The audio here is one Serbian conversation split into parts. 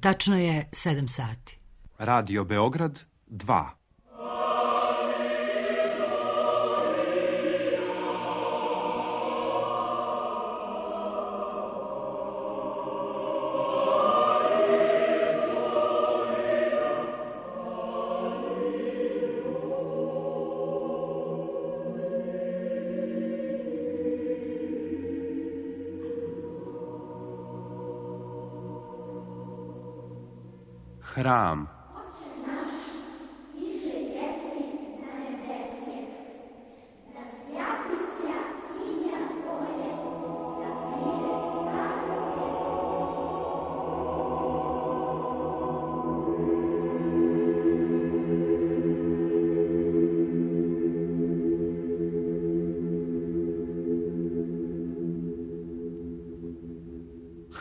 Tačno je 7 sati. Radio Beograd 2. Hram.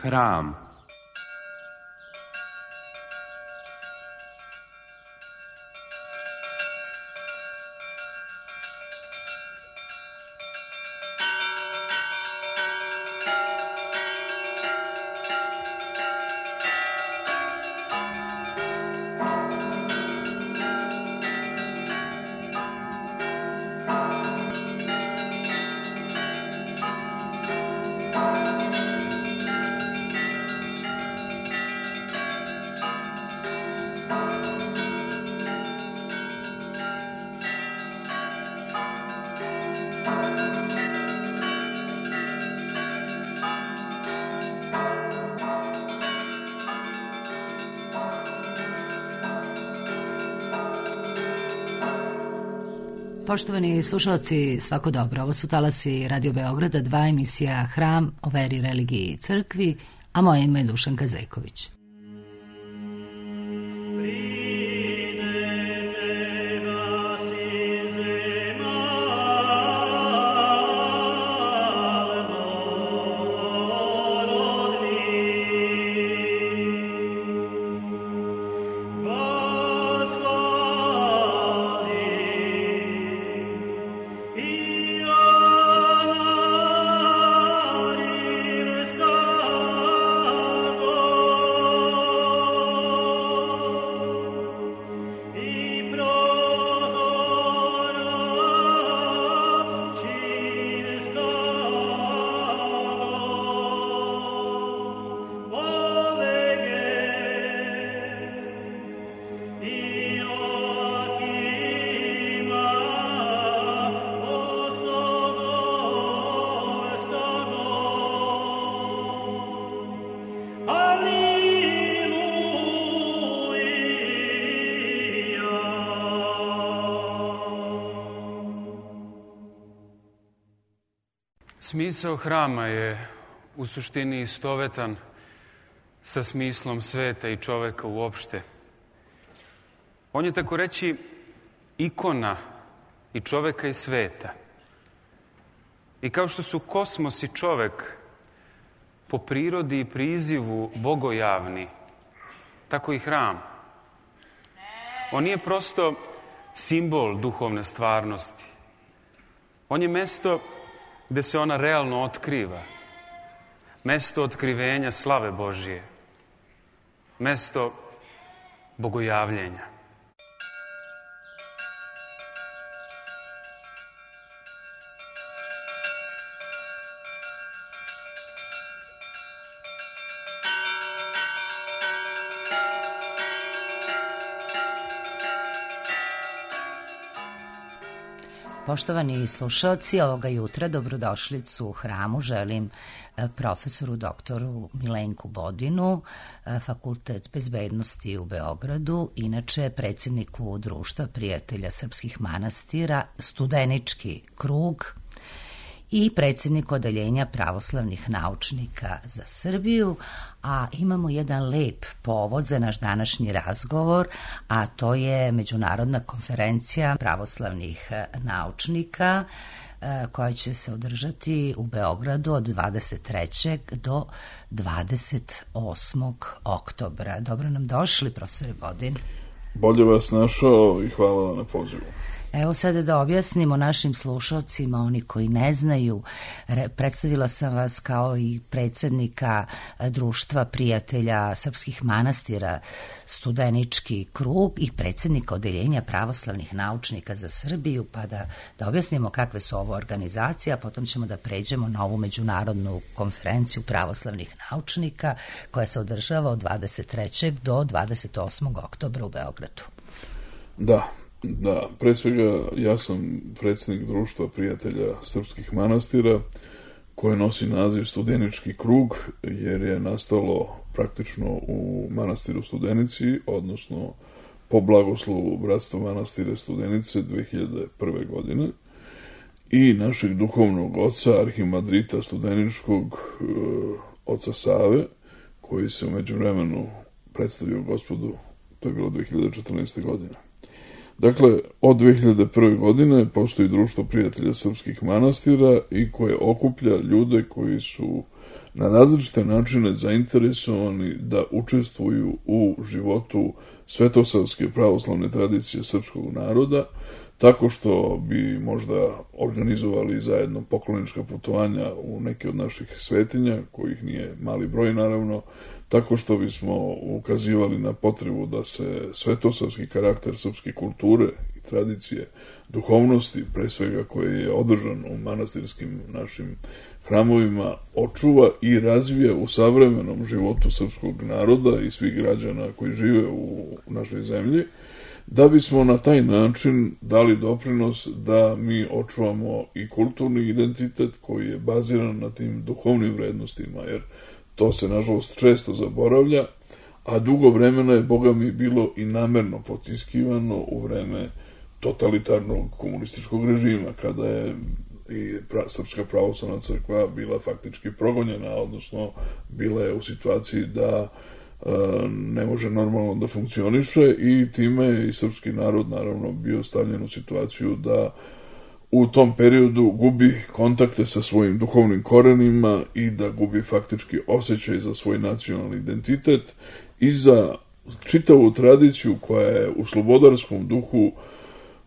Hram. Poštovani slušalci, svako dobro. Ovo su talasi Radio Beograda 2, emisija Hram o veri, religiji i crkvi, a moje ime je Dušanka Zejković. Smisao hrama je u suštini istovetan sa smislom sveta i čoveka uopšte. On je, tako reći, ikona i čoveka i sveta. I kao što su kosmos i čovek po prirodi i prizivu bogojavni, tako i hram. On nije prosto simbol duhovne stvarnosti. On je mesto gde se ona realno otkriva. Mesto otkrivenja slave Božije. Mesto bogojavljenja. Poštovani slušalci, ovoga jutra dobrodošlicu u hramu želim profesoru doktoru Milenku Bodinu, Fakultet bezbednosti u Beogradu, inače predsjedniku Društva prijatelja srpskih manastira, Studenički krug i predsjednik odeljenja pravoslavnih naučnika za Srbiju, a imamo jedan lep povod za naš današnji razgovor, a to je Međunarodna konferencija pravoslavnih naučnika koja će se održati u Beogradu od 23. do 28. oktobra. Dobro nam došli, profesore Bodin. Bolje vas našao i hvala vam na pozivu. Evo sada da objasnimo našim slušalcima, oni koji ne znaju, predstavila sam vas kao i predsjednika Društva prijatelja srpskih manastira Studenički krug i predsjednika Odeljenja pravoslavnih naučnika za Srbiju, pa da objasnimo kakve su ovo organizacije, a potom ćemo da pređemo na ovu međunarodnu konferenciju pravoslavnih naučnika koja se održava od 23. do 28. oktobra u Beogradu. Da, pre svega ja sam predsjednik Društva prijatelja srpskih manastira koje nosi naziv Studenički krug jer je nastalo praktično u manastiru Studenici, odnosno po blagoslovu Bratstva manastira Studenice 2001. godine i našeg duhovnog oca, arhimandrita Studeničkog, oca Save, koji se u međuvremenu predstavio Gospodu, to je bilo 2014. godine. Dakle, od 2001. godine postoji Društvo prijatelja srpskih manastira i koje okuplja ljude koji su na različite načine zainteresovani da učestvuju u životu svetosavske pravoslavne tradicije srpskog naroda, tako što bi možda organizovali zajedno poklonička putovanja u neke od naših svetinja, kojih nije mali broj naravno, tako što bismo ukazivali na potrebu da se svetosavski karakter srpske kulture i tradicije duhovnosti, pre svega koje je održan u manastirskim našim hramovima, očuva i razvija u savremenom životu srpskog naroda i svih građana koji žive u našoj zemlji, da bismo na taj način dali doprinos da mi očuvamo i kulturni identitet koji je baziran na tim duhovnim vrednostima, jer to se, nažalost, često zaboravlja, a dugo vremena je, Boga mi, bilo i namerno potiskivano u vreme totalitarnog komunističkog režima, kada je i Srpska pravoslavna crkva bila faktički progonjena, odnosno bila je u situaciji da ne može normalno da funkcioniše i time je i srpski narod, naravno, bio stavljen u situaciju da u tom periodu gubi kontakte sa svojim duhovnim korenima i da gubi faktički osjećaj za svoj nacionalni identitet i za čitavu tradiciju koja je u slobodarskom duhu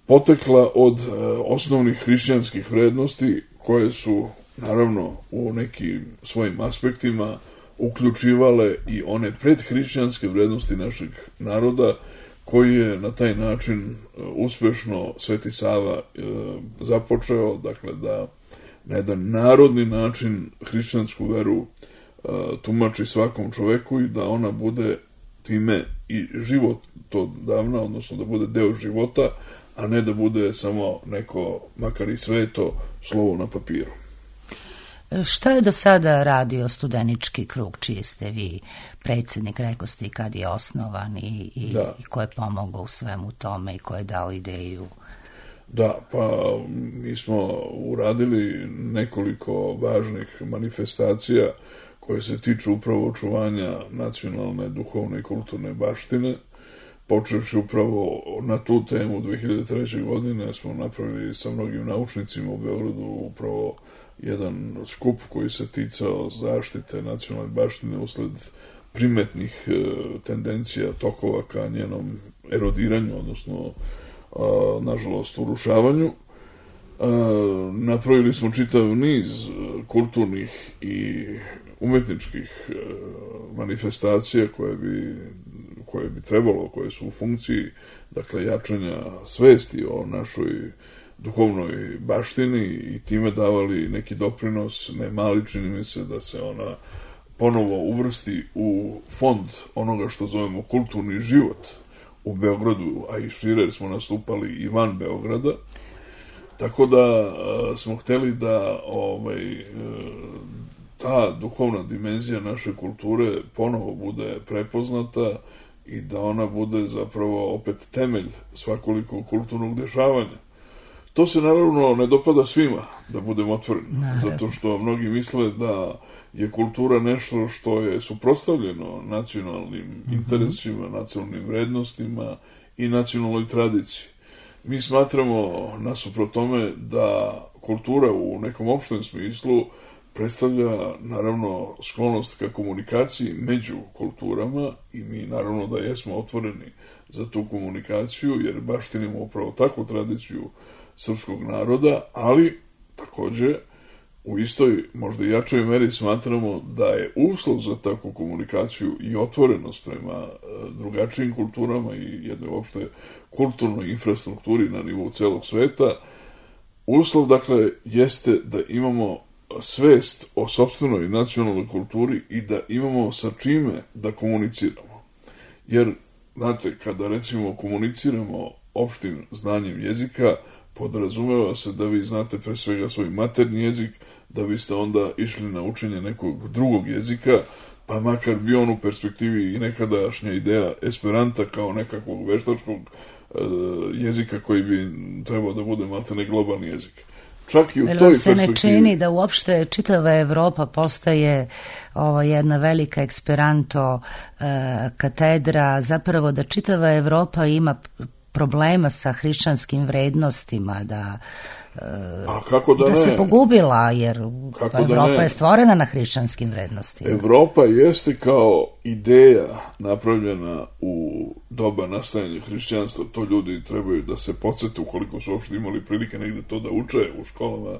potekla od osnovnih hrišćanskih vrednosti koje su, naravno, u nekim svojim aspektima uključivale i one predhrišćanske vrednosti našeg naroda, koji je na taj način uspešno Sveti Sava započeo, dakle da na jedan narodni način hrišćansku veru tumači svakom čoveku i da ona bude time i život to davna, odnosno da bude deo života, a ne da bude samo neko, makar i sveto, slovo na papiru. Šta je do sada radio Studenički krug, čiji ste vi predsjednik, rekao ste i kad je osnovan i ko je pomogao u svemu tome i ko je dao ideju? Da, pa mi smo uradili nekoliko važnih manifestacija koje se tiču upravo očuvanja nacionalne, duhovne i kulturne baštine. Počevši upravo na tu temu 2003. godine smo napravili sa mnogim naučnicima u Beogradu upravo jedan skup koji se ticao zaštite nacionalne baštine usled primetnih tendencija tokova ka njenom erodiranju, odnosno nažalost urušavanju. Napravili smo čitav niz kulturnih i umetničkih manifestacija koje bi trebalo, koje su u funkciji, dakle, jačanja svesti o našoj duhovnoj baštini i time davali neki doprinos, ne mali, čini mi se, da se ona ponovo uvrsti u fond onoga što zovemo kulturni život u Beogradu, a i šire, jer smo nastupali i van Beograda. Tako da smo hteli da ta duhovna dimenzija naše kulture ponovo bude prepoznata i da ona bude zapravo opet temelj svakolikog kulturnog dešavanja. To se naravno ne dopada svima, da budemo otvoreni, zato što mnogi misle da je kultura nešto što je suprotstavljeno nacionalnim interesima, nacionalnim vrednostima i nacionalnoj tradiciji. Mi smatramo, nasuprot tome, da kultura u nekom opštem smislu predstavlja naravno sklonost ka komunikaciji među kulturama i mi naravno da jesmo otvoreni za tu komunikaciju jer baštinimo upravo takvu tradiciju srpskog naroda, ali takođe u istoj, možda jačoj meri smatramo da je uslov za takvu komunikaciju i otvorenost prema drugačijim kulturama i jednoj uopšte kulturnoj infrastrukturi na nivou celog sveta. Uslov, dakle, jeste da imamo svest o sopstvenoj nacionalnoj kulturi i da imamo sa čime da komuniciramo. Jer, znate, kada recimo komuniciramo opštim znanjem jezika, podrazumeva se da vi znate pre svega svoj maternji jezik, da biste onda išli na učenje nekog drugog jezika, pa makar bi on u perspektivi i nekadašnja ideja Esperanta kao nekakvog veštačkog jezika koji bi trebao da bude maltene globalni jezik. Čak i u toj perspektivi... se ne čini da uopšte čitava Evropa postaje jedna velika Esperanto katedra, zapravo da čitava Evropa ima problema sa hrišćanskim vrednostima, da se pogubila, jer Evropa je stvorena na hrišćanskim vrednostima. Evropa jeste kao ideja napravljena u doba nastajanja hrišćanstva, to ljudi trebaju da se podsete ukoliko su uopšte imali prilike negde to da uče u školama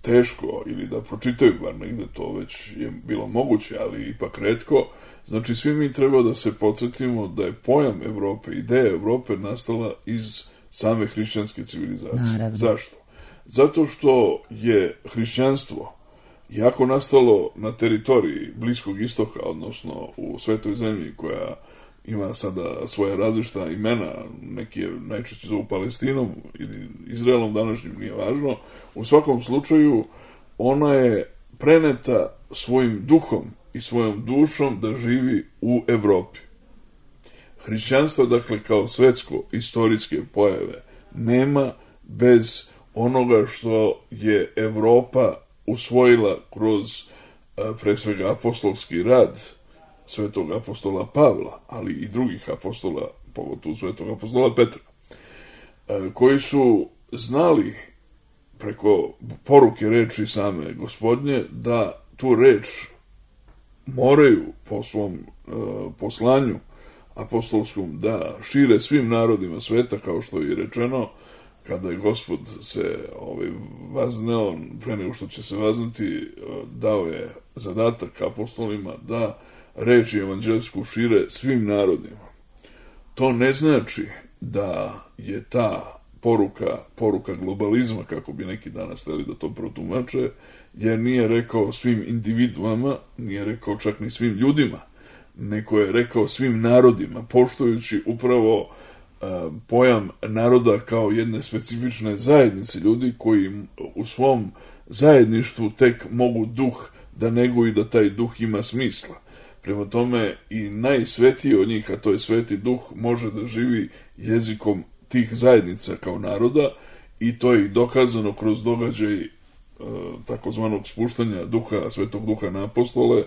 teško ili da pročitaju, bar negde to već je bilo moguće, ali ipak retko. Znači, svi mi treba da se podsjetimo da je pojam Evrope, ideja Evrope nastala iz same hrišćanske civilizacije. Naravno. Zašto? Zato što je hrišćanstvo jako nastalo na teritoriji Bliskog istoka, odnosno u svetoj zemlji koja ima sada svoja različita imena, neki je najčešće zovu Palestinom ili Izraelom, današnjim nije važno. U svakom slučaju ona je preneta svojim duhom i svojom dušom da živi u Evropi. Hrišćanstvo, dakle, kao svetsko istorijske pojave nema bez onoga što je Evropa usvojila kroz pre svega apostolski rad svetog apostola Pavla, ali i drugih apostola, pogotovo svetog apostola Petra, koji su znali preko poruke reči same Gospodnje da tu reč moraju po svom poslanju apostolskom da šire svim narodima sveta, kao što je rečeno, kada je Gospod se vazneo, pre nego što će se vaznati, dao je zadatak apostolima da reč evanđelsku šire svim narodima. To ne znači da je ta poruka globalizma, kako bi neki danas hteli da to protumače, jer nije rekao svim individuama, nije rekao čak ni svim ljudima, nego je rekao svim narodima, poštujući upravo pojam naroda kao jedne specifične zajednice ljudi koji u svom zajedništvu tek mogu duh da neguju, da taj duh ima smisla. Prema tome i najsvetiji od njih, a to je sveti duh, može da živi jezikom tih zajednica kao naroda i to je dokazano kroz događaj takozvanog spuštanja duha, svetog duha na apostole,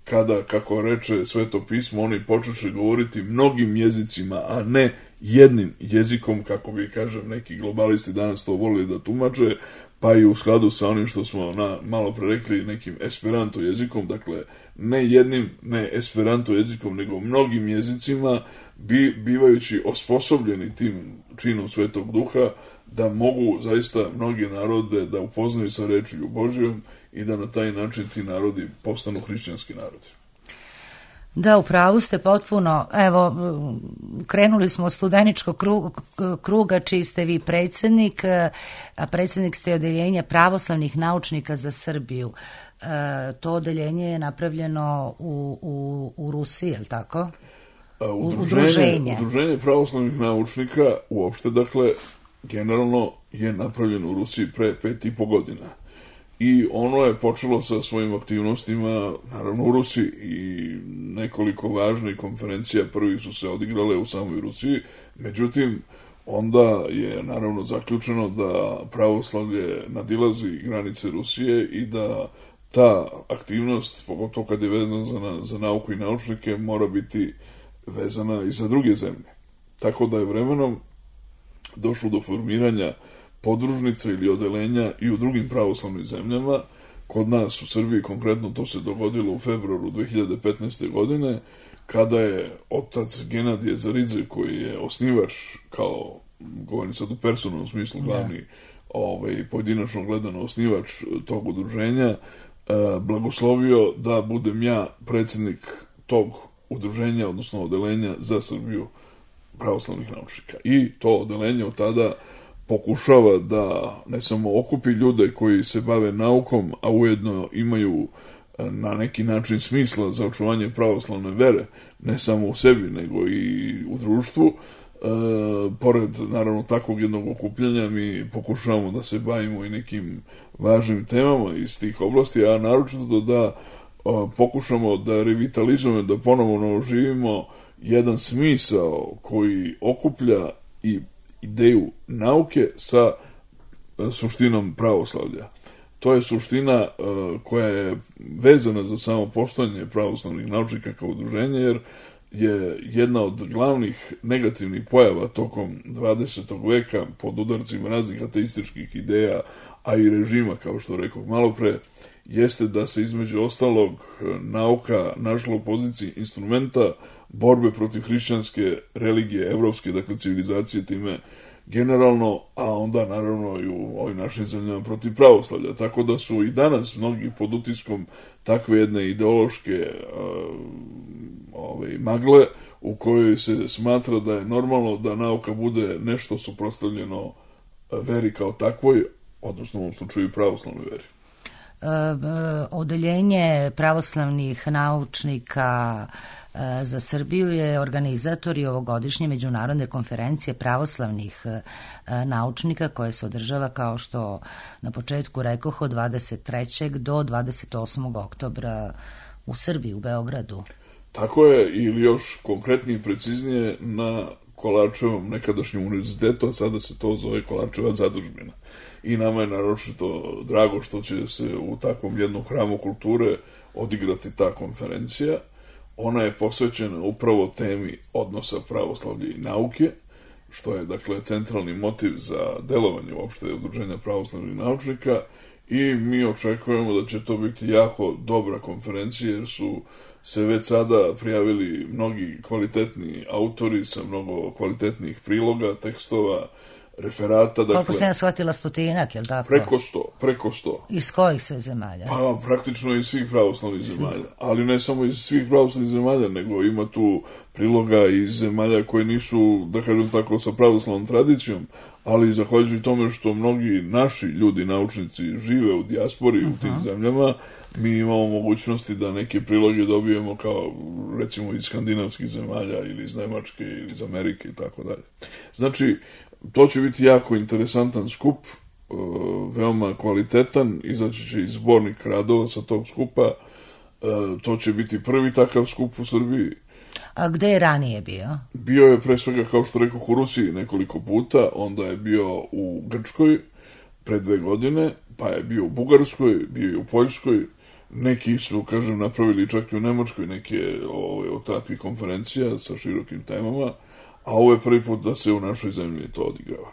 kada, kako reče Sveto pismo, oni počeše govoriti mnogim jezicima, a ne jednim jezikom, kako bi, kažem, neki globalisti danas to volili da tumače, pa i u skladu sa onim što smo malo pre rekli, nekim esperanto jezikom, dakle, ne jednim, ne esperanto jezikom, nego mnogim jezicima, bivajući osposobljeni tim činom Svetog Duha, da mogu zaista mnogi narode da upoznaju sa rečju Božjom i da na taj način ti narodi postanu hrišćanski narodi. Da, upravo ste potpuno. Evo, krenuli smo od studeničkog kruga, čiji ste vi predsjednik, a predsjednik ste odeljenja pravoslavnih naučnika za Srbiju. To odeljenje je napravljeno u Rusiji, je li tako? Udruženje pravoslavnih naučnika uopšte, dakle, generalno je napravljeno u Rusiji pre 5,5 godina. I ono je počelo sa svojim aktivnostima, naravno, u Rusiji i nekoliko važnih konferencija prvi su se odigrale u samoj Rusiji, međutim, onda je naravno zaključeno da pravoslavlje nadilazi granice Rusije i da ta aktivnost, pogotovo kad je vezana za nauku i naučnike, mora biti vezana i za druge zemlje. Tako da je vremenom došlo do formiranja podružnica ili odelenja i u drugim pravoslavnim zemljama, kod nas u Srbiji, konkretno to se dogodilo u februaru 2015. godine, kada je otac Genadije Zaridze, koji je osnivač, kao, govorim sad u personalnom smislu, glavni, pojedinačno gledano osnivač tog udruženja, blagoslovio da budem ja predsjednik tog udruženja, odnosno odelenja za Srbiju pravoslavnih naučnika. I to odelenje od tada pokušava da ne samo okupi ljude koji se bave naukom, a ujedno imaju na neki način smisla za očuvanje pravoslavne vere, ne samo u sebi, nego i u društvu. Pored, naravno, takvog jednog okupljanja mi pokušavamo da se bavimo i nekim važnim temama iz tih oblasti, a naročito da pokušamo da revitalizujemo, da ponovno oživimo jedan smisao koji okuplja i ideju nauke sa suštinom pravoslavlja. To je suština koja je vezana za samo postojanje pravoslavnih naučnika kao udruženje, jer je jedna od glavnih negativnih pojava tokom 20. veka pod udarcima raznih ateističkih ideja, a i režima, kao što rekao malo pre, jeste da se između ostalog nauka našla u poziciji instrumenta borbe protiv hrišćanske religije, evropske, dakle civilizacije time generalno, a onda naravno i u ovim našim zemljama protiv pravoslavlja. Tako da su i danas mnogi pod utiskom takve jedne ideološke magle u kojoj se smatra da je normalno da nauka bude nešto suprotstavljeno veri kao takvoj, odnosno u ovom slučaju pravoslavnoj veri. Odeljenje pravoslavnih naučnika za Srbiju je organizator i ovogodišnje međunarodne konferencije pravoslavnih naučnika koje se održava, kao što na početku rekoh, od 23. do 28. oktobra u Srbiji, u Beogradu. Tako je, ili još konkretnije i preciznije na Kolarčevom nekadašnjem univerzitetu, a sada se to zove Kolarčeva zadužbina. I nama je naročito drago što će se u takvom jednom hramu kulture odigrati ta konferencija. Ona je posvećena upravo temi odnosa pravoslavlja i nauke, što je, dakle, centralni motiv za delovanje uopšte udruženja pravoslavnih naučnika, i mi očekujemo da će to biti jako dobra konferencija, jer su se već sada prijavili mnogi kvalitetni autori sa mnogo kvalitetnih priloga, tekstova, referata. Dakle, koliko sam ja shvatila, 100-ak, je li tako? Preko 100. Iz kojih sve zemalja? Pa praktično iz svih pravoslavnih zemalja. Ali ne samo iz svih pravoslavnih zemalja, nego ima tu priloga iz zemalja koje nisu, da kažem tako, sa pravoslavnom tradicijom, ali zahvaljujući tome što mnogi naši ljudi, naučnici, žive u dijaspori u tim zemljama, mi imamo mogućnosti da neke priloge dobijemo kao, recimo, iz skandinavskih zemalja ili iz Nemačke ili iz Amerike i tako dalje. Znači, to će biti jako interesantan skup, veoma kvalitetan, izaći će i zbornik radova sa tog skupa, to će biti prvi takav skup u Srbiji. A gde je ranije bio? Bio je pre svega, kao što rekao, u Rusiji nekoliko puta, onda je bio u Grčkoj pre 2 godine, pa je bio u Bugarskoj, bio je u Poljskoj, neki su, kažem, napravili čak i u Nemačkoj neke od takvih konferencija sa širokim temama, a ovo je prvi put da se u našoj zemlji to odigrava.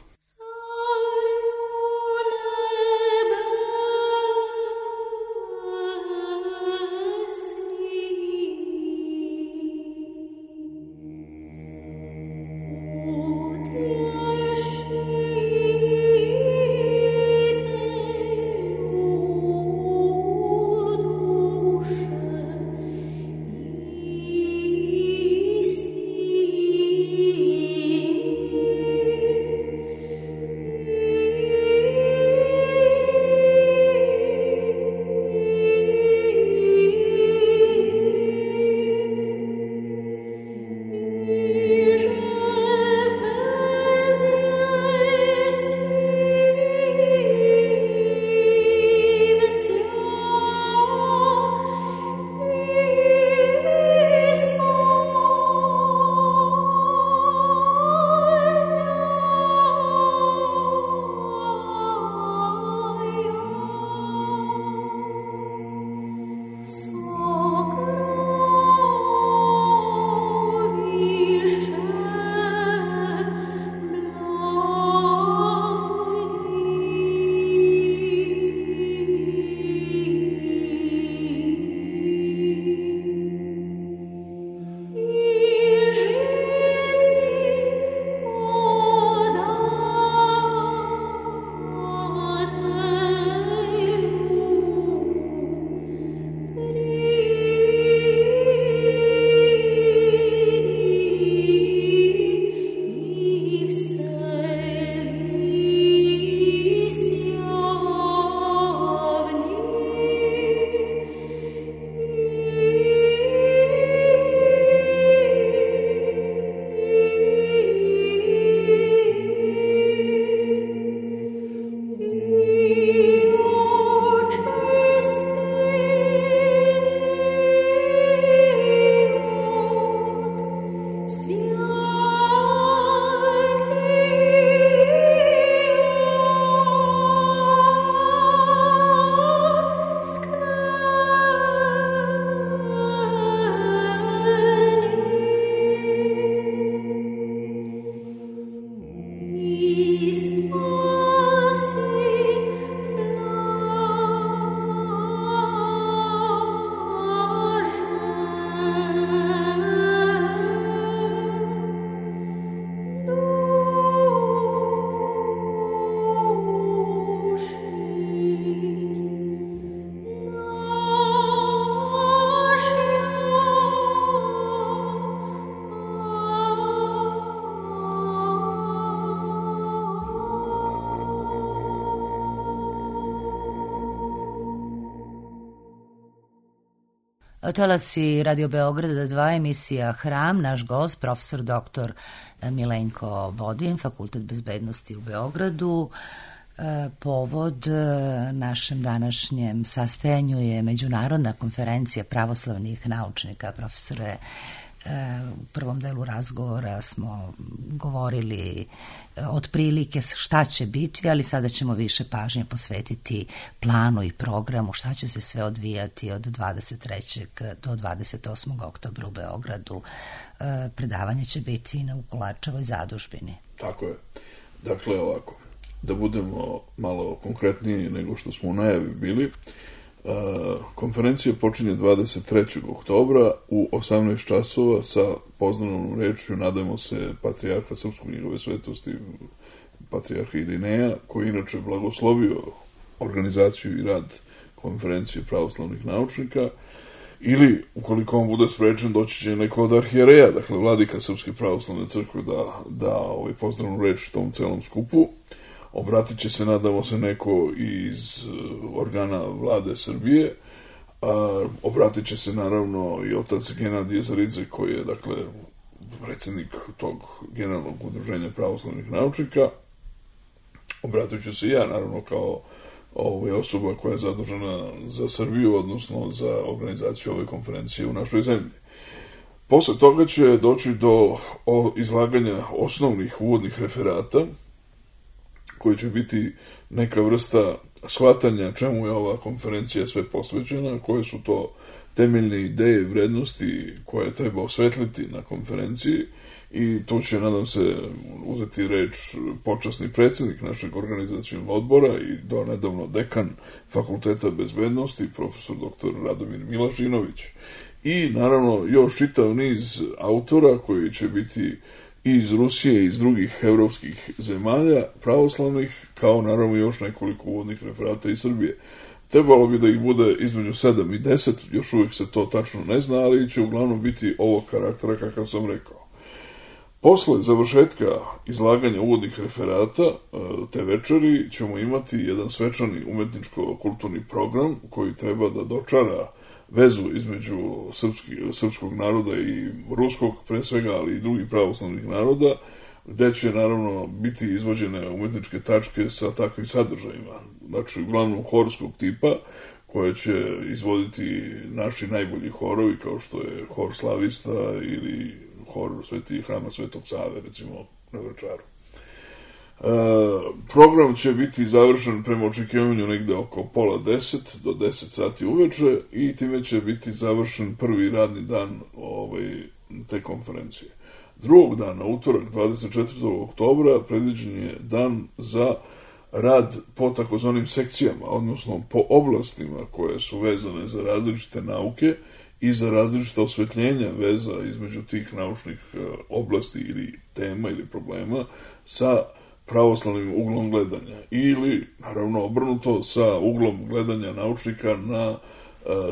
Talasi Radio Beograda 2, emisija Hram, naš gost, profesor dr. Milenko Bodin, Fakultet bezbednosti u Beogradu. Povod našem današnjem sastajanju je Međunarodna konferencija pravoslavnih naučnika. Profesore, u prvom delu razgovora smo govorili otprilike šta će biti, ali sada ćemo više pažnje posvetiti planu i programu, šta će se sve odvijati od 23. do 28. oktobra u Beogradu. Predavanje će biti u Kolarčevoj zadužbini. Tako je. Dakle, ovako, da budemo malo konkretniji nego što smo u najavi bili, konferencija počinje 23. oktobra u 18 časova sa pozdravnom rečju, nadamo se, patrijarha Srpskog njegove svetosti, patrijarha Irineja, koji inače blagoslovio organizaciju i rad konferencije pravoslavnih naučnika, ili, ukoliko on bude sprečen, doći će neko od arhijereja, dakle, vladika Srpske pravoslavne crkve da pozdravnu reč tom celom skupu. Obratit će se, nadamo se, neko iz organa vlade Srbije. Obratit će se, naravno, i otac Genadije Zaridze, koji je, dakle, predsjednik tog generalnog udruženja pravoslavnih naučnika. Obratit ću se ja, naravno, kao osoba koja je zadužena za Srbiju, odnosno za organizaciju ove konferencije u našoj zemlji. Posle toga će doći do izlaganja osnovnih uvodnih referata, koji će biti neka vrsta shvatanja čemu je ova konferencija sve posvećena, koje su to temeljne ideje i vrednosti koje treba osvetliti na konferenciji, i tu će, nadam se, uzeti reč počasni predsjednik našeg organizacionog odbora i do nedavno dekan Fakulteta bezbednosti, profesor dr. Radomir Milašinović. I, naravno, još čitav niz autora koji će biti i iz Rusije i iz drugih evropskih zemalja pravoslavnih, kao naravno još nekoliko uvodnih referata iz Srbije. Trebalo bi da ih bude između 7 i 10, još uvijek se to tačno ne zna, ali će uglavnom biti ovog karaktera kakav sam rekao. Posle završetka izlaganja uvodnih referata te večeri ćemo imati jedan svečani umetničko-kulturni program koji treba da dočara vezu između srpskog naroda i ruskog, pre svega, ali i drugih pravoslavnih naroda, gde će, naravno, biti izvođene umetničke tačke sa takvim sadržajima. Znači, uglavnom horskog tipa, koje će izvoditi naši najbolji horovi, kao što je hor Slavista ili hor Hrama Svetog Save, recimo, na Vračaru. Program će biti završen prema očekivanju negde oko pola 10 do 10 sati uveče i time će biti završen prvi radni dan te konferencije. Drugog dana, utorak 24. oktobra, predviđen je dan za rad po takozvanim sekcijama, odnosno po oblastima koje su vezane za različite nauke i za različite osvetljenja veza između tih naučnih oblasti ili tema ili problema sa pravoslavnim uglom gledanja, ili, naravno, obrnuto, sa uglom gledanja naučnika na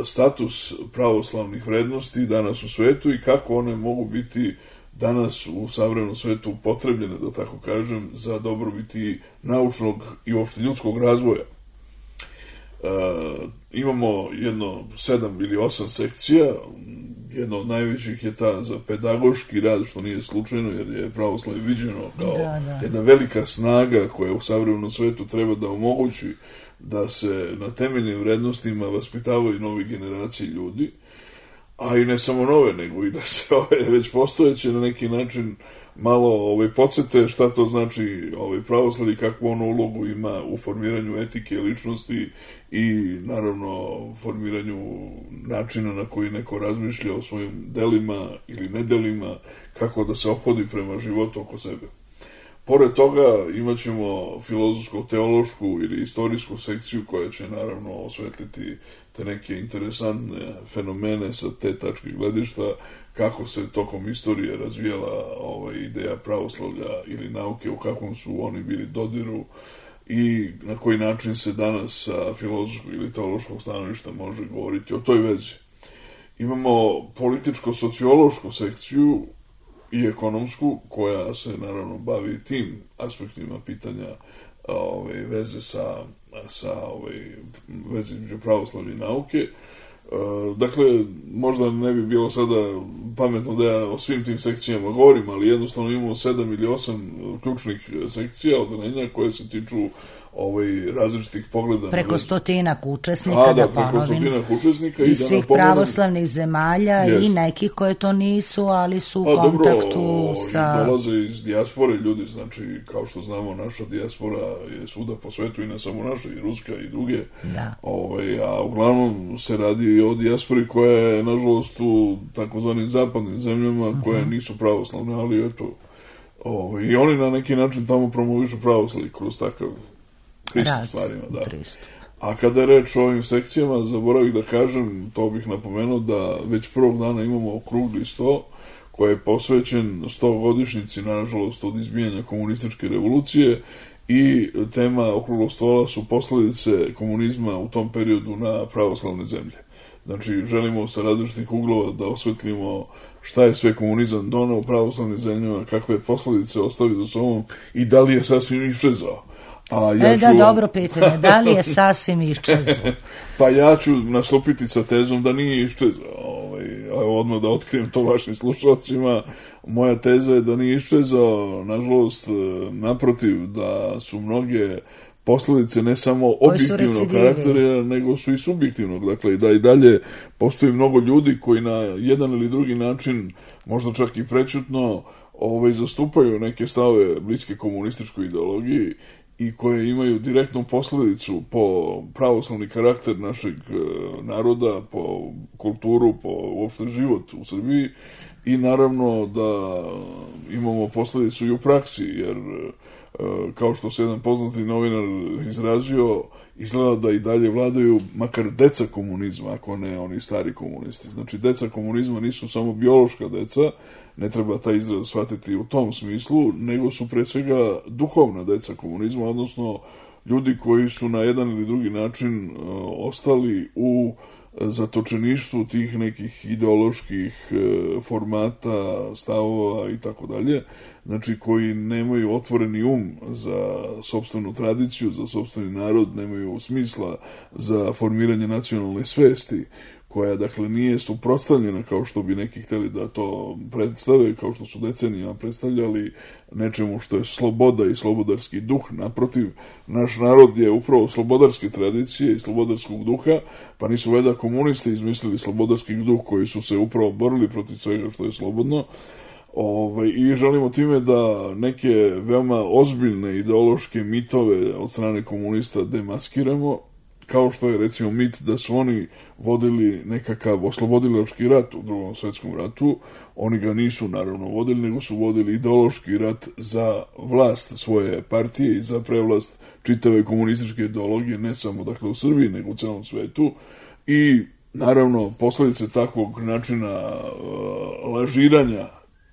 status pravoslavnih vrednosti danas u svetu i kako one mogu biti danas u savremenom svetu upotrebljene, da tako kažem, za dobrobiti naučnog i uopšte ljudskog razvoja. Imamo jedno 7 ili 8 sekcija. Jedna od najvećih je ta za pedagoški rad, što nije slučajno, jer je pravoslavlje viđeno kao jedna velika snaga koja u savremenom svetu treba da omogući da se na temeljnim vrednostima vaspitavaju nove generacije ljudi, a i ne samo nove, nego i da se već postojeće na neki način malo podsjete šta to znači pravoslavlje, kakvu ono ulogu ima u formiranju etike ličnosti i naravno formiranju načina na koji neko razmišlja o svojim delima ili nedelima, kako da se ophodi prema životu oko sebe. Pored toga imat ćemo filozofsko-teološku ili istorijsku sekciju koja će naravno osvetliti te neke interesantne fenomene sa te tačke gledišta, kako se tokom istorije razvijala ideja pravoslavlja ili nauke, u kakvom su oni bili dodiru i na koji način se danas sa filozofskog ili teološkog stanovišta može govoriti o toj vezi. Imamo političko-sociološku sekciju i ekonomsku, koja se naravno bavi tim aspektima pitanja veze sa veze između pravoslavlja i nauke. Dakle, možda ne bi bilo sada pametno da ja o svim tim sekcijama govorim, ali jednostavno imamo 7 ili 8 ključnih sekcija, odeljenja koje se tiču različitih pogleda. Preko 100 učesnika, da ponovim, učesnika i svih pravoslavnih zemalja i nekih koje to nisu, ali su u kontaktu sa... Dolaze iz dijaspore ljudi, znači, kao što znamo, naša dijaspora je svuda po svetu i ne samo naša, i ruska i druge. Da. A uglavnom se radi i o dijaspori koja je, nažalost, u takozvanim zapadnim zemljama, koje nisu pravoslavne, ali eto, i oni na neki način tamo promovišu pravoslavlje kroz takav pristup stvarima, da. A kada je reč o ovim sekcijama, zaboravih da kažem, to bih napomenuo, da već prvog dana imamo okrugli sto koji je posvećen 100-godišnjici, nažalost, od izbijanja komunističke revolucije, i tema okruglog stola su posledice komunizma u tom periodu na pravoslavne zemlje. Znači, želimo sa različitih uglova da osvetlimo šta je sve komunizam doneo u pravoslavnim zemljama, kakve posledice ostavi za sobom i da li je sasvim iščezao. Dobro pitanje, da li je sasvim iščezao? Pa ja ću nastupiti sa tezom da nije iščezao. Odmah da otkrijem to vašim slušalcima. Moja teza je da nije iščezao, nažalost, naprotiv, da su mnoge posledice ne samo objektivnog karaktera, nego su i subjektivnog. Dakle, da i dalje postoji mnogo ljudi koji na jedan ili drugi način, možda čak i prećutno, zastupaju neke stave bliske komunističkoj ideologiji i koje imaju direktnu posledicu po pravoslavni karakter našeg naroda, po kulturu, po uopšte život u Srbiji, i naravno da imamo posledicu i u praksi, jer kao što se jedan poznati novinar izrazio, izgleda da i dalje vladaju makar deca komunizma, ako ne oni stari komunisti. Znači, deca komunizma nisu samo biološka deca, ne treba taj izraz shvatiti u tom smislu, nego su pre svega duhovna deca komunizma, odnosno ljudi koji su na jedan ili drugi način ostali u zatočeništvu tih nekih ideoloških formata, stavova i tako dalje, znači koji nemaju otvoreni za sopstvenu tradiciju, za sopstveni narod, nemaju smisla za formiranje nacionalne svesti, koja, dakle, nije suprotstavljena kao što bi neki hteli da to predstave, kao što su decenijama predstavljali nečemu što je sloboda i slobodarski duh. Naprotiv, naš narod je upravo slobodarske tradicije i slobodarskog duha, pa nisu valjda komunisti izmislili slobodarski duh koji su se upravo borili protiv svega što je slobodno. I želimo time da neke veoma ozbiljne ideološke mitove od strane komunista demaskiramo, kao što je, recimo, mit da su oni vodili nekakav oslobodilački rat u Drugom svetskom ratu. Oni ga nisu, naravno, vodili, nego su vodili ideološki rat za vlast svoje partije i za prevlast čitave komunističke ideologije, ne samo, dakle, u Srbiji, nego u celom svetu. I, naravno, posledice takvog načina lažiranja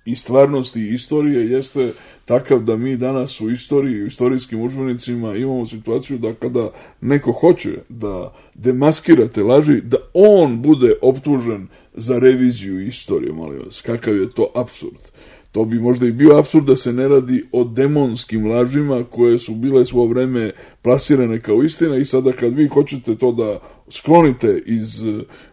i stvarnosti i istorije jeste takav da mi danas u istoriji i u istorijskim udžbenicima imamo situaciju da kada neko hoće da demaskira te laži, da on bude optužen za reviziju istorije, molim vas. Kakav je to apsurd? To bi možda i bio apsurd da se ne radi o demonskim lažima koje su bile svo vreme plasirane kao istina, i sada kad vi hoćete to da sklonite iz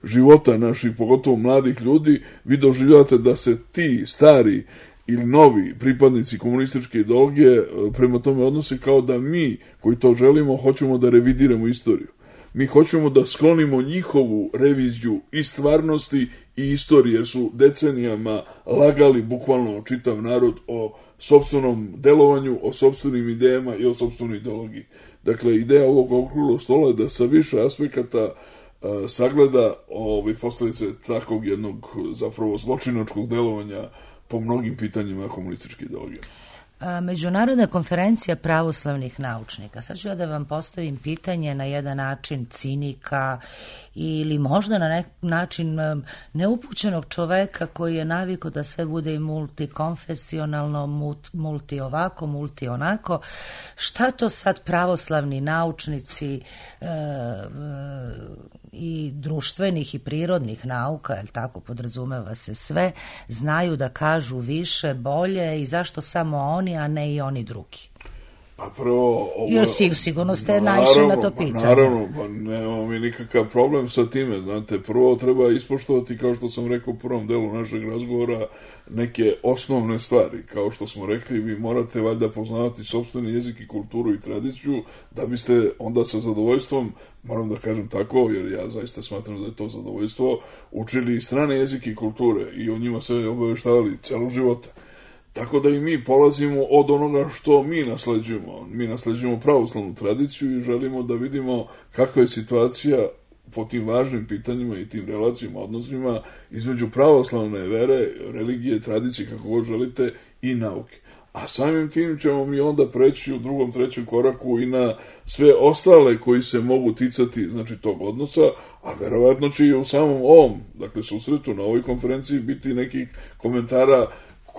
života naših, pogotovo mladih ljudi, vi doživljavate da se ti stari ili novi pripadnici komunističke ideologije prema tome odnose kao da mi, koji to želimo, hoćemo da revidiramo istoriju. Mi hoćemo da sklonimo njihovu reviziju i stvarnosti i istorije, jer su decenijama lagali bukvalno čitav narod o sopstvenom delovanju, o sopstvenim idejama i o sopstvenoj ideologiji. Dakle, ideja ovog okruglog stola je da sa više aspekata sagleda posljedice takvog jednog zapravo zločinačkog delovanja po mnogim pitanjima komunističke ideologije. Međunarodna konferencija pravoslavnih naučnika. Sad ću ja da vam postavim pitanje na jedan način cinika ili možda na neki način neupućenog čoveka koji je navikao da sve bude i multikonfesionalno, multi ovako, multi onako. Šta to sad pravoslavni naučnici i društvenih i prirodnih nauka, jel tako, podrazumeva se sve, znaju da kažu više, bolje, i zašto samo oni, a ne i oni drugi? A prvo... Jer sigurno ste naišli na to pitanje. Naravno, pa nemamo mi nikakav problem sa time, znate, prvo treba ispoštovati, kao što sam rekao u prvom delu našeg razgovora, neke osnovne stvari. Kao što smo rekli, vi morate valjda poznavati sopstveni jezik i kulturu i tradiciju, da biste onda sa zadovoljstvom, moram da kažem tako, jer ja zaista smatram da je to zadovoljstvo, učili i strane jezike i kulture i o njima se obaveštavali celog života. Tako da i mi polazimo od onoga što mi nasleđujemo. Mi nasleđujemo pravoslavnu tradiciju i želimo da vidimo kakva je situacija po tim važnim pitanjima i tim relacijama, odnosima između pravoslavne vere, religije, tradicije, kako god želite, i nauke. A samim tim ćemo mi onda preći u drugom, trećem koraku i na sve ostale koji se mogu ticati, znači, tog odnosa, a verovatno će i u samom ovom, dakle, susretu na ovoj konferenciji biti nekih komentara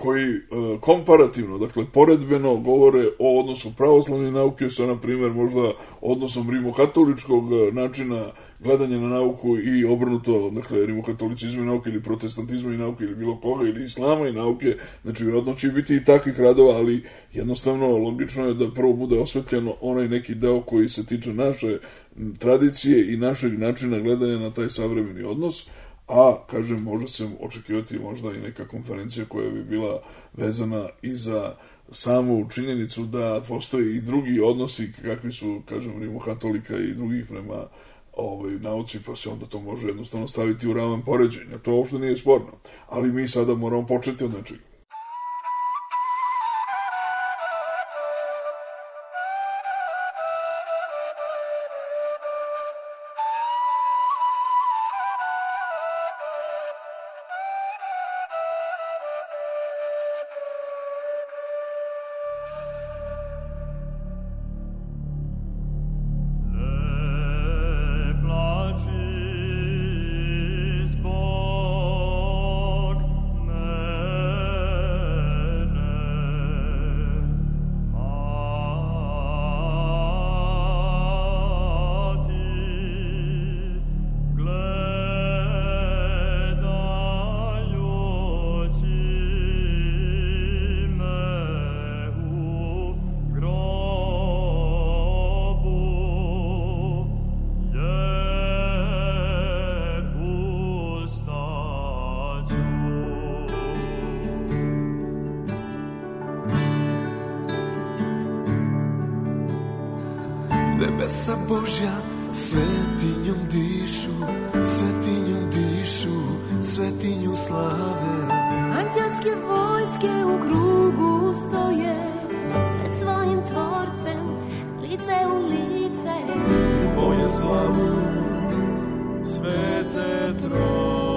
koji komparativno, dakle, poredbeno govore o odnosu pravoslavne nauke sa, na primjer, možda odnosom rimokatoličkog načina gledanja na nauku i obrnuto, dakle, rimokatolicizmu i nauke ili protestantizmu i nauke ili bilo koga ili islama i nauke, znači, vjerojatno će biti i takvih radova, ali jednostavno logično je da prvo bude osvetljeno onaj neki deo koji se tiče naše tradicije i našeg načina gledanja na taj savremeni odnos, a, kažem, može se očekivati možda i neka konferencija koja bi bila vezana i za samu činjenicu da postoji i drugi odnosi kakvi su, kažem, rimokatolika i drugih prema nauci, pa se onda to može jednostavno staviti u ravan poređenja. To uopšte nije sporno. Ali mi sada moramo početi od nečega. Nebesa Božja svetinjom dišu, svetinjom dišu, svetinju slave. Anđelske vojske u krugu stoje pred svojim tvorcem, lice u lice. Boje slavu svete trojice.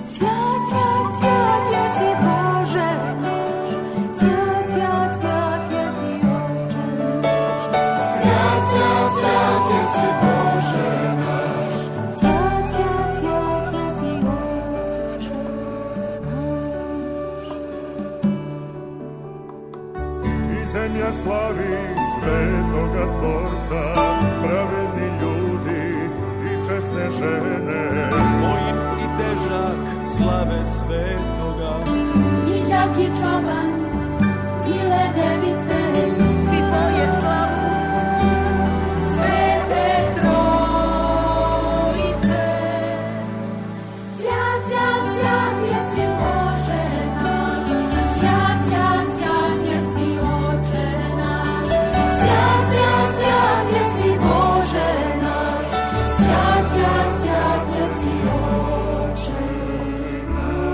Svjat, svjat, svjat, jesi Bože naš. Svjat, svjat, svjat, jesi Oče naš. Svjat, svjat, svjat, jesi Bože naš. Svjat, svjat, svjat, jesi Oče naš. I zemlja slavi svetoga Tvorca, pravedni ljudi i česne žene. Mojim i težak slave svetoga. I đak i čoban, bile device, svi poje slavu svete trojice. Svjat, svjat, svjat, jesi Bože naš. Svjat, svjat, svjat, jesi Oče naš. Svjat, svjat, svjat, jesi Bože naš. Svjat, svjat, svjat, jesi Oče naš.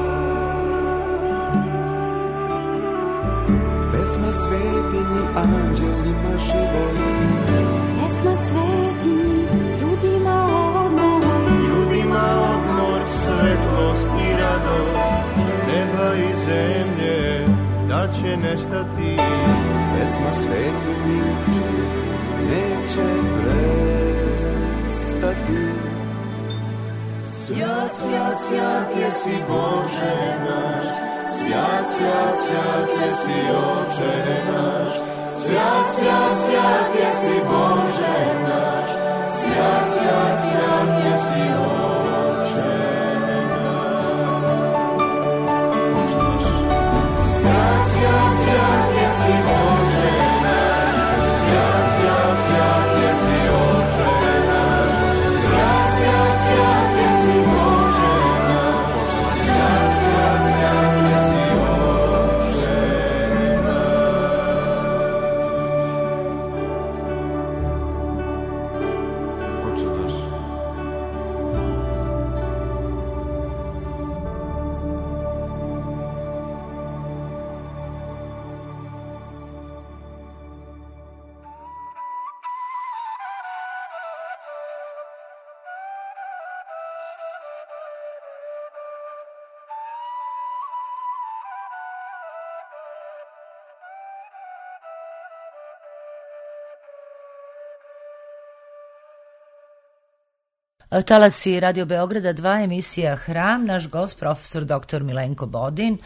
Pesma svetinji, anđelima život. Pesma svetinji, ljudima odmor. Ljudima odmor, svetlost i radost, neba i zemlje, da će nestati. Pesma svetinji neće prestati. Svjat, svjat, svjat, jesi Bože naš. Svjat, svjat, svjat, jesi Oče naš. Svjat, svjat, svjat, jesi Bože naš. Svjat, svjat, svjat, jesi Oče naš. Svjat, svjat, svjat, Talasi Radio Beograda 2, emisija Hram, naš gost profesor dr. Milenko Bodin,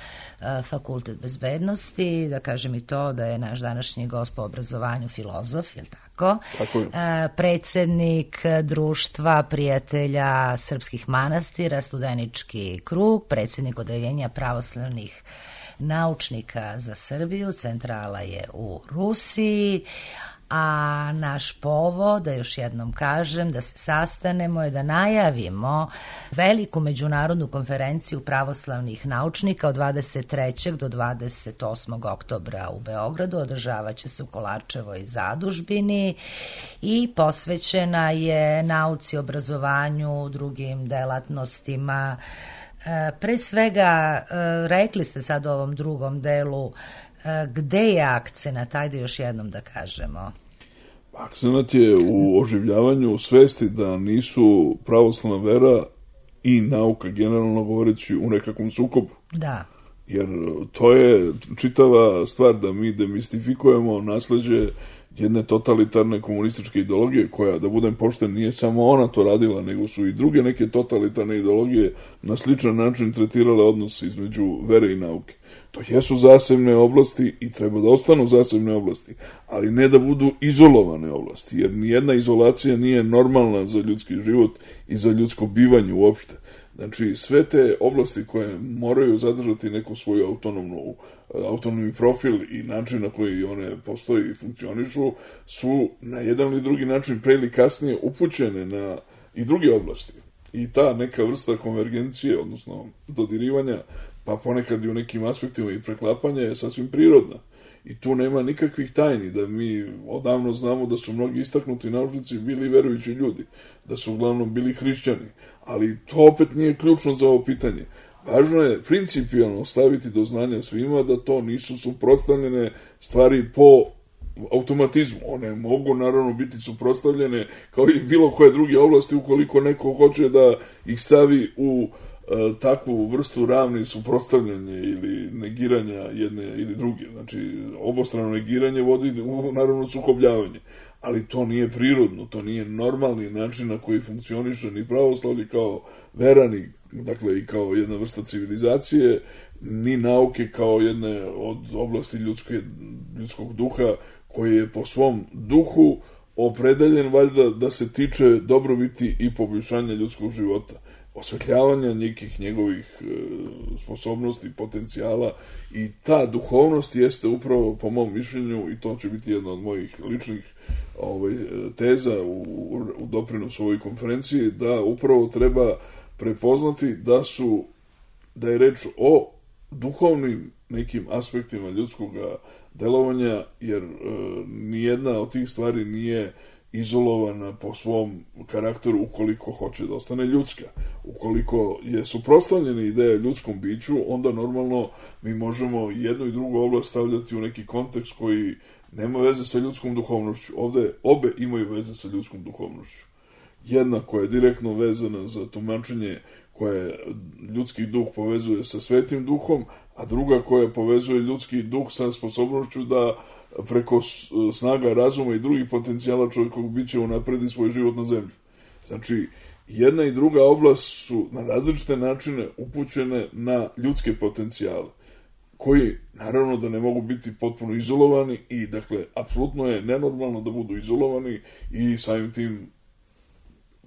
Fakultet bezbednosti, da kažem i to da je naš današnji gost po obrazovanju filozof, je li tako? Tako je. Predsjednik Društva prijatelja srpskih manastira, Studenički krug, predsjednik Odeljenja pravoslavnih naučnika za Srbiju, centrala je u Rusiji, a naš povod, da još jednom kažem, da se sastanemo je da najavimo veliku međunarodnu konferenciju pravoslavnih naučnika od 23. do 28. oktobra u Beogradu. Održavat će se u Kolarčevoj zadužbini i posvećena je nauci, obrazovanju, drugim delatnostima. Pre svega, rekli ste sad u ovom drugom delu, gde je akcenat, ajde još jednom da kažemo. Akcenat je u oživljavanju svesti da nisu pravoslavna vera i nauka, generalno govoreći, u nekakvom sukobu. Da. Jer to je čitava stvar da mi demistifikujemo nasleđe jedne totalitarne komunističke ideologije koja, da budem pošten, nije samo ona to radila, nego su i druge neke totalitarne ideologije na sličan način tretirale odnos između vere i nauke. To jesu zasebne oblasti i treba da ostanu zasebne oblasti, ali ne da budu izolovane oblasti, jer nijedna izolacija nije normalna za ljudski život i za ljudsko bivanje uopšte. Znači, sve te oblasti koje moraju zadržati neku svoju autonomni profil i način na koji one postoji i funkcionišu, su na jedan ili drugi način pre ili kasnije upućene na i druge oblasti. I ta neka vrsta konvergencije, odnosno dodirivanja, pa ponekad i u nekim aspektima i preklapanja je sasvim prirodna. I tu nema nikakvih tajni, da mi odavno znamo da su mnogi istaknuti naučnici bili verujući ljudi, da su uglavnom bili hrišćani, ali to opet nije ključno za ovo pitanje. Važno je principijalno staviti do znanja svima da to nisu suprotstavljene stvari po automatizmu. One mogu naravno biti suprotstavljene kao i bilo koje druge oblasti ukoliko neko hoće da ih stavi u takvu vrstu ravni suprotstavljanja ili negiranja jedne ili druge. Znači, obostrano negiranje vodi u naravno sukobljavanje. Ali to nije prirodno, to nije normalni način na koji funkcioniše ni pravoslavlje kao vera, ni, dakle i kao jedna vrsta civilizacije, ni nauke kao jedne od oblasti ljudskog duha koji je po svom duhu opredeljen valjda da se tiče dobrobiti i poboljšanja ljudskog života, osvetljavanja nekih njegovih sposobnosti, potencijala, i ta duhovnost jeste upravo, po mom mišljenju, i to će biti jedna od mojih ličnih teza u doprinosu ovoj konferenciji, da upravo treba prepoznati da je reč o duhovnim nekim aspektima ljudskog delovanja, jer nijedna od tih stvari nije izolovana po svom karakteru ukoliko hoće da ostane ljudska. Ukoliko je suprotstavljena ideja ljudskom biću, onda normalno mi možemo jednu i drugu oblast stavljati u neki kontekst koji nema veze sa ljudskom duhovnošću. Ovde obe imaju veze sa ljudskom duhovnošću. Jedna koja je direktno vezana za tumačenje koje ljudski duh povezuje sa svetim duhom, a druga koja povezuje ljudski duh sa sposobnošću da preko snaga razuma i drugih potencijala čovjekovog bića unapredi svoj život na zemlji. Znači, jedna i druga oblast su na različite načine upućene na ljudske potencijale, koji naravno da ne mogu biti potpuno izolovani i, dakle, apsolutno je nenormalno da budu izolovani i samim tim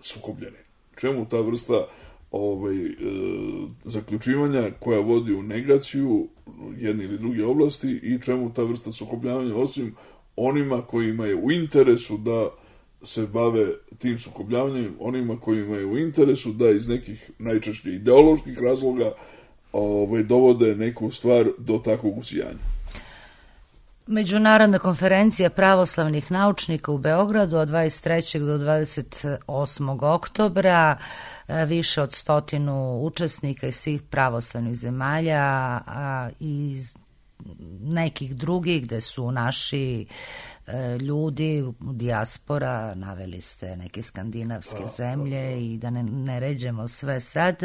sukobljeni. Čemu ta vrsta zaključivanja koja vodi u negaciju jedne ili druge oblasti i čemu ta vrsta sukobljavanja, osim onima kojima je u interesu da se bave tim sukobljavanjem, onima kojima je u interesu da iz nekih najčešće ideoloških razloga dovode neku stvar do takvog usijanja. Međunarodna konferencija pravoslavnih naučnika u Beogradu od 23. do 28. oktobra, više od 100 učesnika iz svih pravoslavnih zemalja, a iz nekih drugih gde su naši ljudi, dijaspora, naveli ste neke skandinavske zemlje i da ne ređemo sve sad,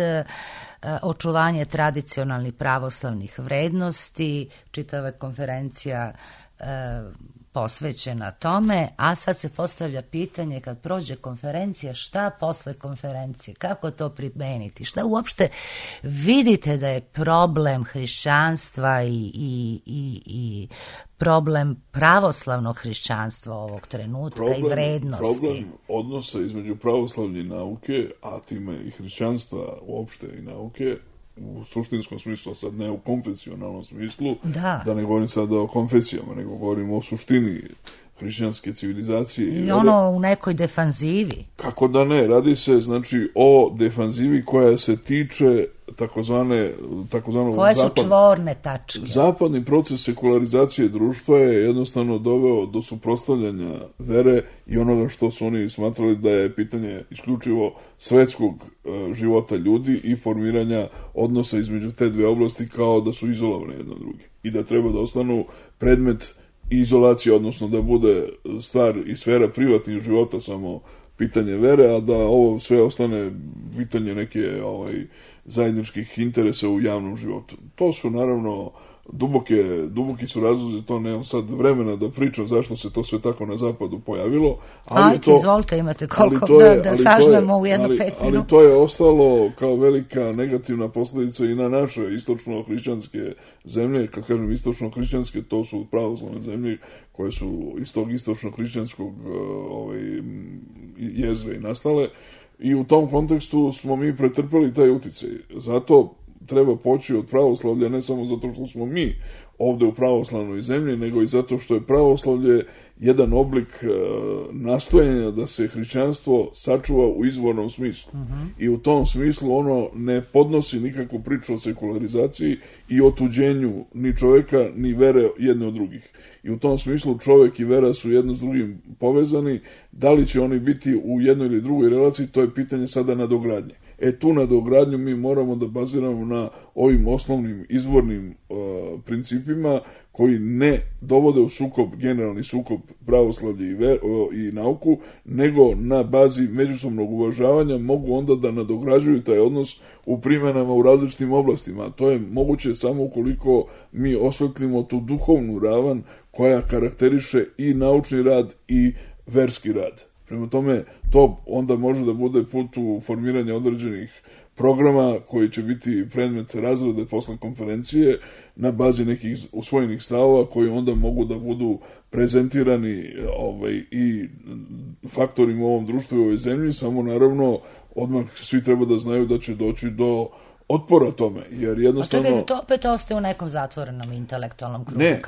očuvanje tradicionalnih pravoslavnih vrednosti, čitava konferencija posvećena tome, a sad se postavlja pitanje kad prođe konferencija, šta posle konferencije, kako to primeniti, šta uopšte vidite da je problem hrišćanstva i problem pravoslavnog hrišćanstva ovog trenutka i vrednosti. Problem odnosa između pravoslavlje i nauke, a time i hrišćanstva uopšte i nauke, u suštinskom smislu, a sad ne u konfesionalnom smislu, da ne govorim sada o konfesijama, nego govorim o suštini hrišćanske civilizacije. I ono u nekoj defanzivi. Kako da ne, radi se znači o defanzivi koja se tiče takozvanog koje su čvorne tačke. Zapadni proces sekularizacije društva je jednostavno doveo do suprotstavljanja vere i onoga što su oni smatrali da je pitanje isključivo svetskog života ljudi i formiranja odnosa između te dve oblasti kao da su izolovane jedno od druge i da treba da ostanu predmet izolacije, odnosno da bude stvar i sfera privatnih života samo pitanje vere, a da ovo sve ostane pitanje neke zajedničkih interesa u javnom životu. To su naravno duboki su razlozi, to nemam sad vremena da pričam zašto se to sve tako na zapadu pojavilo. Izvolite, imate koliko da sažmemo u jedno 5 minuta. Ali to je ostalo kao velika negativna posljedica i na naše istočno-hrišćanske zemlje. Kad kažem istočno-hrišćanske, to su pravoslavne zemlje koje su iz tog istočno-hrišćanskog jezgre i nastale. I u tom kontekstu smo mi pretrpeli taj uticaj. Zato treba poći od pravoslavlja, ne samo zato što smo mi ovde u pravoslavnoj zemlji, nego i zato što je pravoslavlje jedan oblik nastojanja da se hrišćanstvo sačuva u izvornom smislu. I u tom smislu ono ne podnosi nikakvu priču o sekularizaciji i otuđenju ni čoveka, ni vere jedne od drugih. I u tom smislu čovek i vera su jedno s drugim povezani. Da li će oni biti u jednoj ili drugoj relaciji, to je pitanje sada nadogradnje. Tu nadogradnju mi moramo da baziramo na ovim osnovnim izvornim principima koji ne dovode u sukob, generalni sukob pravoslavlje i nauku, nego na bazi međusobnog uvažavanja mogu onda da nadograđuju taj odnos u primjenama u različitim oblastima. To je moguće samo ukoliko mi osvetlimo tu duhovnu ravan koja karakteriše i naučni rad i verski rad. Prema tome, to onda može da bude put u formiranje određenih programa koji će biti predmet razrede posle konferencije na bazi nekih usvojenih stavova koji onda mogu da budu prezentirani i faktorima u ovom društvu i u ovoj zemlji, samo naravno odmah svi treba da znaju da će doći do otpora tome, jer jednostavno... A čekajte, to opet ostaje u nekom zatvorenom intelektualnom krugu. Ne,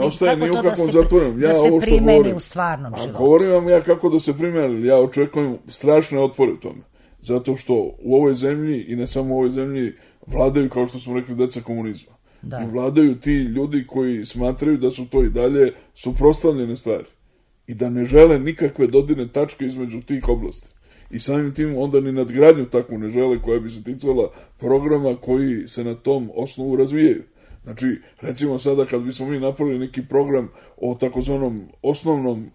ostaje ni u kakvom zatvorenom. Da se primeni u stvarnom životu. Govorim vam ja kako da se primeni, ja očekujem strašne otpore tome. Zato što u ovoj zemlji, i ne samo u ovoj zemlji, vladaju, kao što smo rekli, deca komunizma. Da. I vladaju ti ljudi koji smatraju da su to i dalje suprotstavljene stvari. I da ne žele nikakve dodirne tačke između tih oblasti. I samim tim onda ni nadgradnju takvu ne žele koja bi se ticala programa koji se na tom osnovu razvijaju. Znači, recimo sada kad bismo mi napravili neki program o takozvanom osnovnom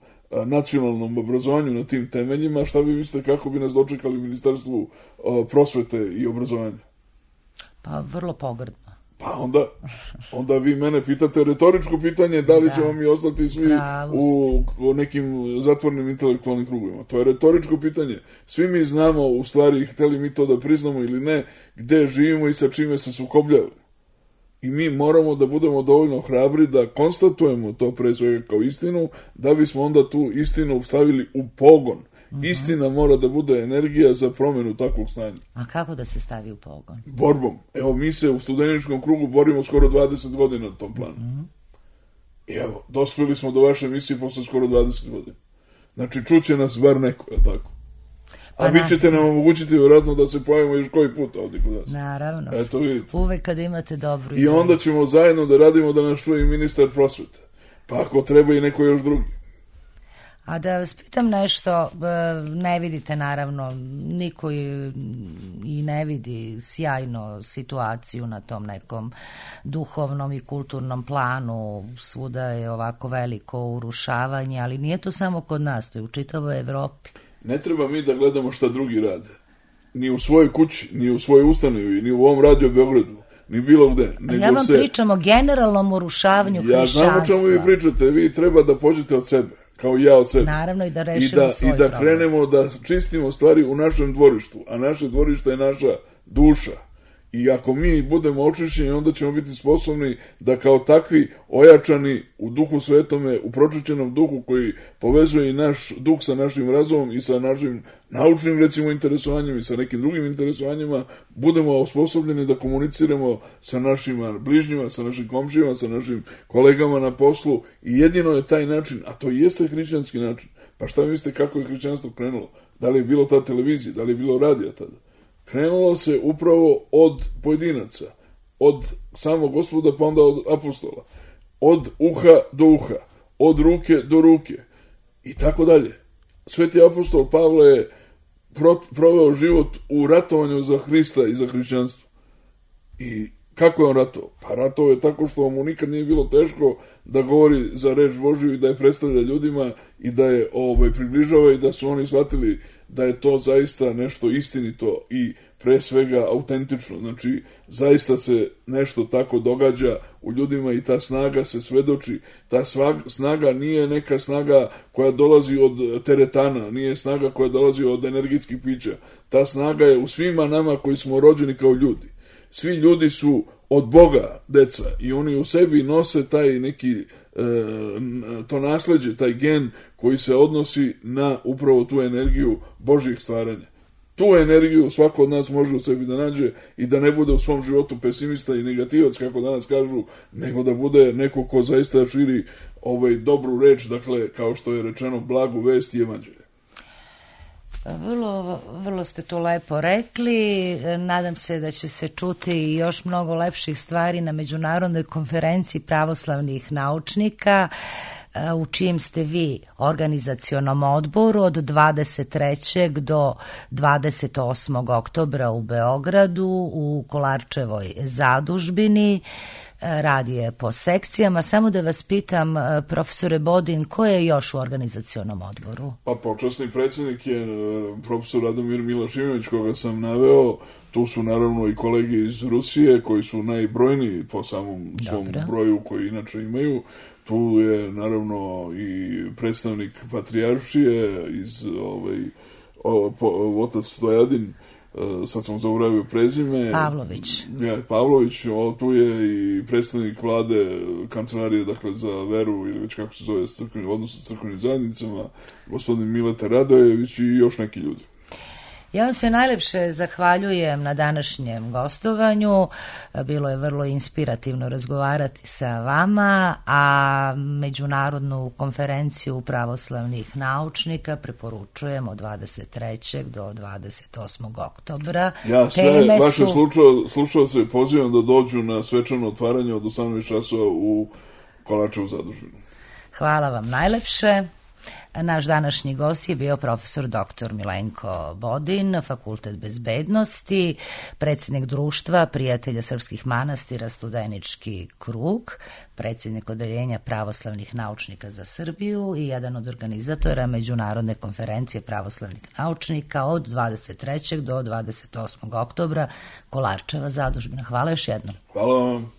nacionalnom obrazovanju na tim temeljima, šta vi mislite kako bi nas dočekali u Ministarstvu prosvete i obrazovanja? Pa vrlo pogrdno. Pa onda vi mene pitate retoričko pitanje da li ćemo mi ostati svi u nekim zatvornim intelektualnim krugovima. To je retoričko pitanje. Svi mi znamo, u stvari, hteli mi to da priznamo ili ne, gde živimo i sa čime se sukobljavamo. I mi moramo da budemo dovoljno hrabri da konstatujemo to pre svega kao istinu, da bismo onda tu istinu stavili u pogon. Istina mora da bude energija za promjenu takvog stanja. A kako da se stavi u pogon? Borbom. Evo, mi se u studeničkom krugu borimo skoro 20 godina na tom planu. I evo, dospeli smo do vaše emisije posle skoro 20 godina. Znači, čuće nas bar neko, je tako? A vi ćete nam omogućiti vjerojatno da se pojavimo još koji put ovdje kod nas. Naravno. Eto, vidite. Uvek kad imate dobru ideju. I onda ćemo zajedno da radimo da nas čuje i ministar prosvete. Pa ako treba i neko još drugi. A da vas pitam nešto, ne vidite naravno, niko i ne vidi sjajno situaciju na tom nekom duhovnom i kulturnom planu, svuda je ovako veliko urušavanje, ali nije to samo kod nas, to je u čitavoj Evropi. Ne treba mi da gledamo šta drugi rade, ni u svojoj kući, ni u svojoj ustanovi, ni u ovom Radio Beogradu, ni bilo gde. Nego ja vam pričam o generalnom urušavanju hrišćanstva. Ja znam o čemu vi pričate, vi treba da pođete od sebe, kao i ja od sebe. Naravno i da rešimo svoj problem. I da krenemo da čistimo stvari u našem dvorištu, a naše dvorište je naša duša. I ako mi budemo očišćeni, onda ćemo biti sposobni da kao takvi ojačani u duhu svetome, u pročišćenom duhu koji povezuje i naš duh sa našim razumom i sa našim naučnim, recimo, interesovanjima i sa nekim drugim interesovanjima, budemo osposobljeni da komuniciramo sa našim bližnjima, sa našim komšijama, sa našim kolegama na poslu i jedino je taj način, a to jeste hrišćanski način. Pa šta mislite kako je hrišćanstvo krenulo? Da li je bilo ta televizija, da li je bilo radija tada? Krenulo se upravo od pojedinaca, od samog Gospoda pa onda od apostola, od uha do uha, od ruke do ruke i tako dalje. Sveti apostol Pavle je proveo život u ratovanju za Hrista i za hrišćanstvo. I kako je on ratovao? Pa ratovao je tako što mu nikad nije bilo teško da govori za reč Božju i da je predstavlja ljudima i da je približava i da su oni shvatili da je to zaista nešto istinito i pre svega autentično. Znači, zaista se nešto tako događa u ljudima i ta snaga se svedoči. Ta snaga nije neka snaga koja dolazi od teretana, nije snaga koja dolazi od energijskih pića. Ta snaga je u svima nama koji smo rođeni kao ljudi. Svi ljudi su od Boga deca i oni u sebi nose taj neki to nasleđe, taj gen koji se odnosi na upravo tu energiju Božjih stvaranja. Tu energiju svako od nas može u sebi da nađe i da ne bude u svom životu pesimista i negativac, kako danas kažu, nego da bude neko ko zaista širi dobru reč, dakle, kao što je rečeno, blagu vest i evanđelje. Vrlo ste to lepo rekli. Nadam se da će se čuti i još mnogo lepših stvari na Međunarodnoj konferenciji pravoslavnih naučnika, u čijem ste vi organizacionom odboru od 23. do 28. oktobra u Beogradu u Kolarčevoj zadužbini. Radi je po sekcijama. Samo da vas pitam, profesore Bodin, ko je još u organizacionom odboru? Pa počasni predsjednik je profesor Radomir Milošević, koga sam naveo. Tu su naravno i kolege iz Rusije koji su najbrojniji po samom svom broju koji inače imaju. Tu je naravno i predstavnik patrijaršije iz otac Stojadin, sad sam zaboravio prezime. Pavlović. Pavlović, tu je i predstavnik vlade kancelarije, dakle, za veru ili već kako se zove, odnosno sa crkvenim zajednicama, gospodin Mileta Radojević i još neki ljudi. Ja vam se najlepše zahvaljujem na današnjem gostovanju. Bilo je vrlo inspirativno razgovarati sa vama, a Međunarodnu konferenciju pravoslavnih naučnika preporučujem od 23. do 28. oktobra. Ja sve vaše slušalce pozivam da dođu na svečano otvaranje od 18 časova u Kolarčevu zadužbinu. Hvala vam najlepše. Naš današnji gost je bio profesor dr. Milenko Bodin, Fakultet bezbednosti, predsjednik društva Prijatelja srpskih manastira Studenički krug, predsjednik odeljenja pravoslavnih naučnika za Srbiju i jedan od organizatora Međunarodne konferencije pravoslavnih naučnika od 23. do 28. oktobra Kolarčeva zadužbina. Hvala još jednom. Hvala vam.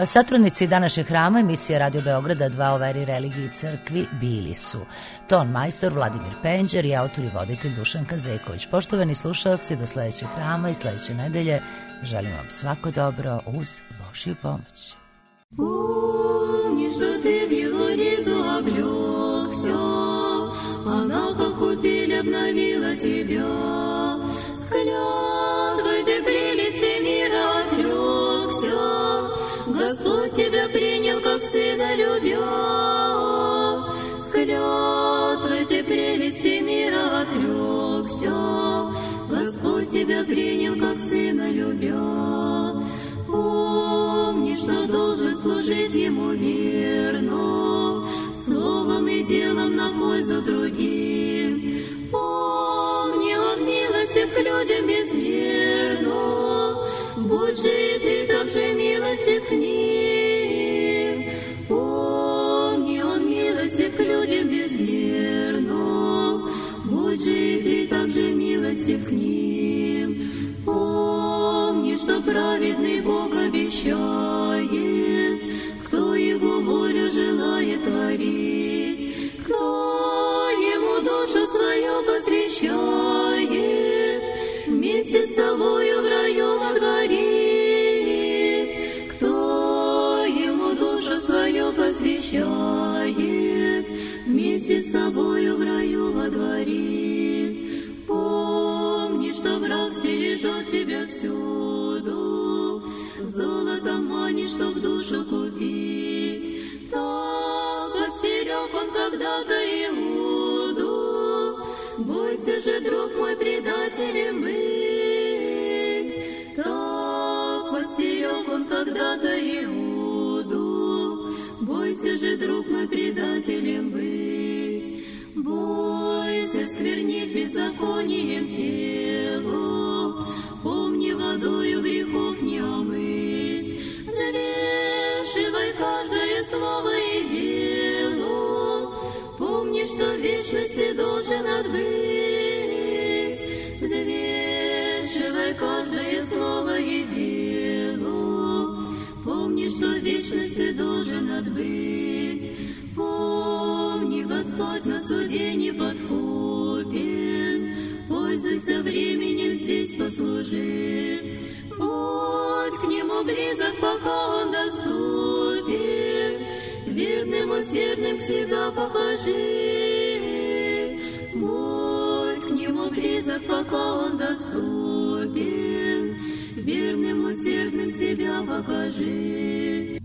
Satrudnici današnjeg hrama emisije Radio Beograda 2 o veri, religiji i crkvi bili su ton majstor Vladimir Penđer i autor i voditelj Dušan Kazeković. Poštovani slušalci, do sledećeg hrama i sledeće nedelje želim vam svako dobro uz Božju pomoć. Помни, что ты в его ризу облегся, она, как купель, обновила тебя. С клятвой ты прелести мира отрекся, Господь тебя принял, как сына любя. С клятвой ты прелести мира отрекся, Господь тебя принял, как сына любя. Помни, что должен служить Ему верно, словом и делом на пользу другим. Помни, Он милостив к людям безмерно, будь же и ты также милостив к ним. Помни, он милостив к людям безмерно, будь же и ты также милостив к ним. Помни, что праведный Бог обещает, кто Его волю желает творить, кто Ему душу свою посвящает, вместе с собою в раю водворит, кто Ему душу свою посвящает, вместе с собою в раю водворит. Помни, что враг стережет тебя всюду, золотом манишь, чтоб душу купить. Так подстерег он когда-то Иуду, бойся же, друг мой, предателем быть. Так подстерег он когда-то Иуду, бойся же, друг мой, предателем быть. Бойся сквернить беззаконием тело, помни, водою грехов не омыть. Взвешивай каждое слово и дело, помни, что в вечности должен отбыть. Взвешивай каждое слово и дело, помни, что в вечности должен отбыть. Помни, Господь на суде не подкупен, пользуйся временем здесь, послужи. Будь к Нему близок, пока Он доступен, верным, усердным себя покажи. Будь к Нему близок, пока Он доступен, верным, усердным себя покажи.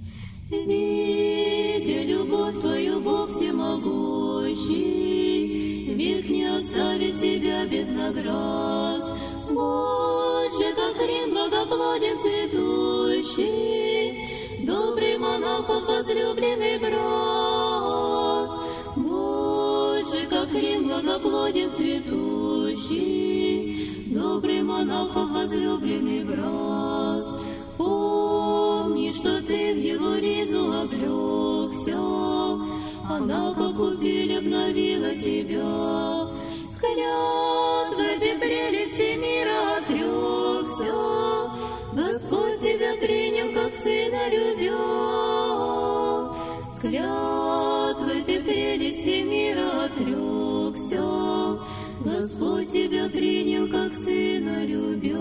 Видя любовь Твою, Бог всемогущий, век не оставит тебя без наград. Будь же, как Рим благоплоден цветущий, добрый монахов возлюбленный брат. Будь же, как Рим благоплоден цветущий, добрый монахов возлюбленный брат. Помни, что ты в его ризу облегся, она, как купель, обновила тебя. С клятвой ты прелести мира отрекся, Господь тебя принял, как сына любя. С клятвой ты прелести мира отрекся, Господь тебя принял, как сына любя.